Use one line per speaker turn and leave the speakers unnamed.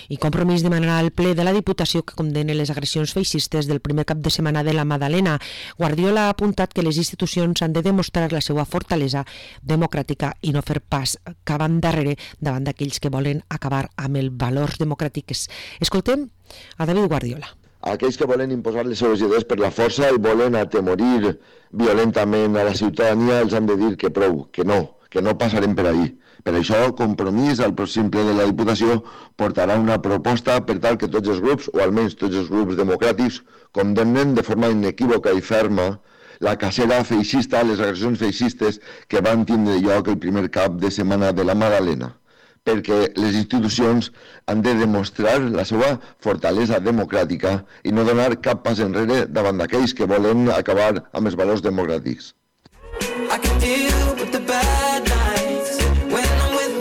I Compromís demanarà al ple de la Diputació que condemni les agressions feixistes del primer cap de setmana de la Madalena. Guardiola ha apuntat que les institucions han de demostrar la seva fortalesa democràtica i no fer pas cap endarrere davant d'aquells que volen acabar amb els valors democràtics. Escoltem a David Guardiola.
Aquells que volen imposar les seves idees per la força i volen atemorir violentament a la ciutadania els han de dir que prou, que no passarem per ahí. Per això, Compromís, al pròxim ple de la Diputació, portarà una proposta per tal que tots els grups, o almenys tots els grups democràtics, condemnen de forma inequívoca i ferma la cacera feixista, les agressions feixistes que van tindre lloc el primer cap de setmana de la Madalena, perquè les institucions han de demostrar la seva fortalesa democràtica i no donar cap pas enrere davant d'aquells que volen acabar amb els valors democràtics.